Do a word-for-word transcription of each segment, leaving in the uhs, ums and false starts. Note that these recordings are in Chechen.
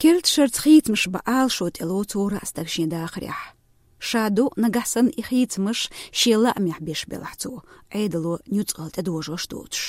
Керда шарца хийцамаш бан Ӏалашо тӀело цо раьза стаг шен дахарехь. Ша ду, нагахь санна и хийцамаш шен лаамехь беш белахь цо, Ӏедало нуьцкъала тӀедожош доцуш.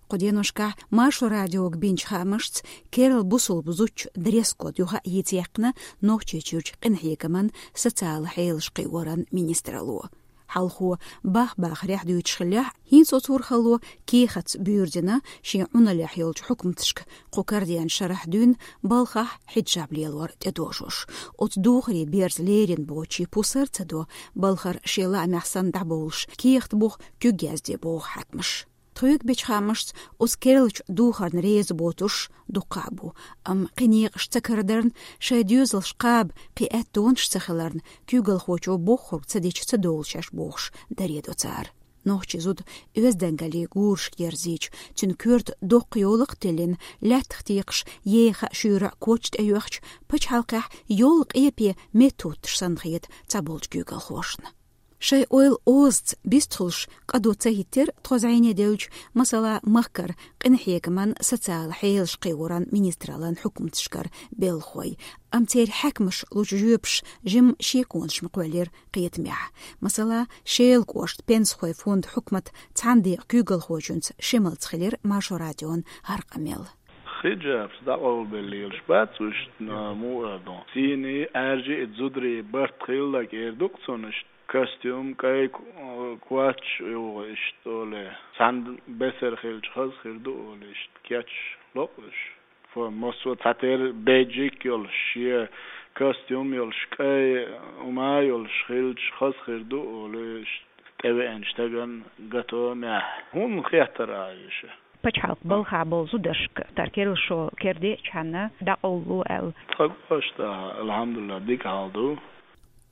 Кху деношкахь Маршо радиога бинчу хаамашца керла бусулба зудчун дресс-код юха а йийца яьккхина Нохчийчуьрчу къинхьегаман, социалан хьелаш кхиоран министралло. Хьалхо бах-бахарехь дуьйцуш хиллехь, хӀинца оцу урхалло кехатца буьйр дина шен Ӏуналлехь йолчу хьукматашка кху карадеанчу шарахь дуьйна балхахь хьиджаб лелор тӀедожош. Оцу духаре берза лерина боцчийн пусар а ца до, балхара шен лаамехь санна дӀабовлуш, кехат буха куьг язде боху хьаькамаша. Тхоьга бечу хаамашца, оцу керлачу духарна реза боцурш дуккха а бу, амма кхин некъаш ца карадарна, шайн доьзалш кхаба кхин аьттонаш ца хиларна, куьйгалхочо бохург ца дича ца довлу шаьш бохуш, даре до цара. Нохчийн зуда оьздангаллин гурашка ерзийча, цуьнан коьрта доккха йовлакх а тиллина, лаьттах текхаш, еха а, шуьйра а коч тӀеоьхча, пачхьалкхехь йолу къепе меттахӀуттуш санна хета цхьаболчу куьйгалхошна. Шайн ойла озаца бистхуьлуш къа ду ца хӀиттира тхо зӀене девлча, масала, махкара къинхьегаман, социалан хьелаш кхиоран министраллан хьукматашкара белхахой. Амма церан хьаькамаша лучу жоьпаша жимма шеконаш ма кхоьллира кхетамехь. Масала, Шелан кӀоштан пенсахойн фондан хьукматан цхьана декъан куьйгалхочуьнца Шемалца хилира Маршо радион хӀара къамел. Хиджаб дӀакъовлабелла лелаш бац уьш, но муха ду. Сийна, аьржа а зударийн барт хилла кӀера ду-кх цунна иштта. Костюм, кӀай ку-, коч а йогӀу иштта олий. Цхьана бесара хилча хаза хир ду олий, иштта кечъеш ло-кх уьш. Фу, массо а цхьатерра бейджик йолуш, шен костюм йолуш, кӀай хӀума йолуш хилча хаза хир ду олий, иштта тӀевеанчу стагана готовомехь. ХӀунда хеттара уьш? Пачхьалкхан балхахь болу зударшка тара керла шо кердечхьана дӀакъовлало аьлла. Тхан кӀоштахь, алхьамдулиллахӀ, дика хьал ду.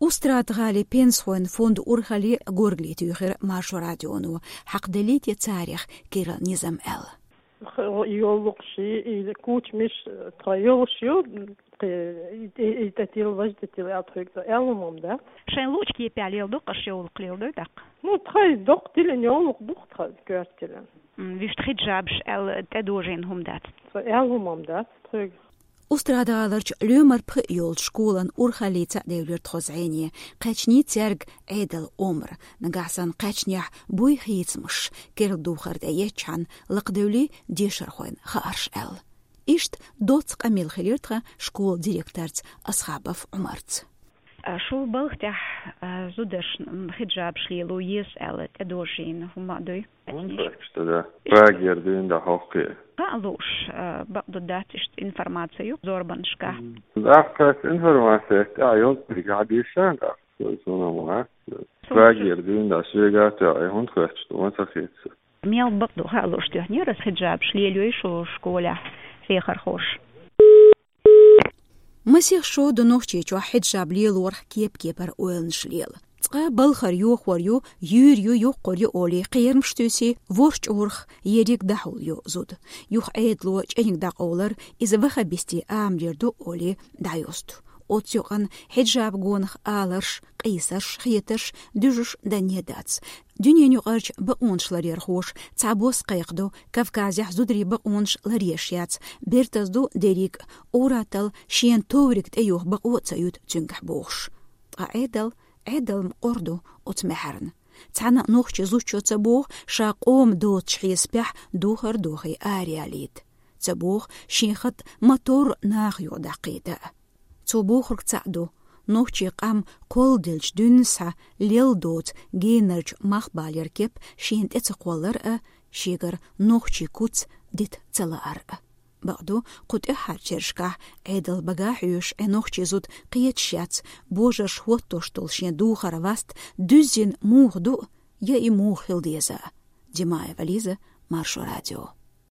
Устрада-ГӀалин пенсахойн фондан урхалле горгали туьйхира Маршо радионо, хьакхаделлий те царех керла низам аьлла. Йоллукъаш, и кучамаш тхан йолуш ю, кхе, и, и, и тӀетилла, важа тӀетилла аьлла тхоьга аьлла хӀума ма дац. Шайн луучу кепехь леладо-кх аша йовлакх, леладой тӀаккха? Ну, тхайн доккха тиллина йовлакх ду-кх тхан коьрта тиллина. М, вуьшта хиджабаш аьлла тӀедожийна хӀума дац? Тхан аьлла хӀума ма дац тхоьга. Устрада-ГӀаларчу лоьмар пхиъ йолчу школан урхаллица а девлира тхо зӀене, кхаьчний цаьрга Ӏедалан омра, нагахь санна кхаьчнехь буй хийцамаш, керла духар тӀе ечхьана лакхадевлий дешархойн хаарш аьлла. Иштта доцца къамел хилира тхан школан директорца Асхабов Ӏумарца. А шу балха тӀехь, а, зударшна, м, хиджабаш лело еза аьлла тӀедожийна хӀума дуй? ХӀунда хӀоьттича да? Прагера дуьйна дӀахьокху. Хаа лууш, а, бакъду, дац иштта информаци ю зорбанашкахь. М. ТӀаккха информаци тӀехь йолчу дерг хьан дийшан тӀаккха, суна ма хаьа. Прагера дуьйна дӀа соьга а тоьхна, хӀунда хӀоьттича ду, ма ца хета. Мел бакъду хаа лууш тоьхнера аса хиджабаш лелайой шу школехь хьехархоша? Масех шо ду Нохчийчохь хьиджаб лелорах кеп-кепара ойланаш лела. Цкъа балхара йохор ю, юьйр ю, йоккхур ю олий, кхерамаш туьйсий, ворхӀ чӀурах ерриг дӀахьулйо зуда. Юха Ӏедало чӀениг дӀакъовлар иза ваххабистийн амалера ду олий дӀайосту. Оццу юкъана хьиджаб гонах аларш, къийсарш, хетарш дуьжуш данне дац. Дуьненаюкъарчу бакъонаш ларъярхоша цхьабосса кхайкхадо, Кавказехь зударийн бакъонаш ларъеш яц, бертаза ду дерриг а, ур-атталла шена товриг тӀеюха бакъо а ца юьту цуьнгахь бохуш. Ткъа Ӏедал, Ӏедал-м къора ду оцу маьхьарна. Цхьана а нохчи зудчо ца боху, ша къоман доцуш хьесапехь духар дохий араялийта. Ца боху, шен хатӀ ма-торра наха юкъа даккхийта а. Цо бохург цхьаъ ду: нохчийн къам кхолладелча дуьйна схьа лелла доцу генарчу мах балера кеп шена тӀе ца кхоллар а, шегара нохчийн куц дита ца лаар а. Бакъду, кху тӀаьххьарчу шерашкахь Ӏедал бага хьоьшуш Ӏе нохчи зуда кхеташ яц, божарша хӀоттош долу шен духар-васт дуьззина муха ду, я и муха хила деза. Димаева Лиза, Маршо радио.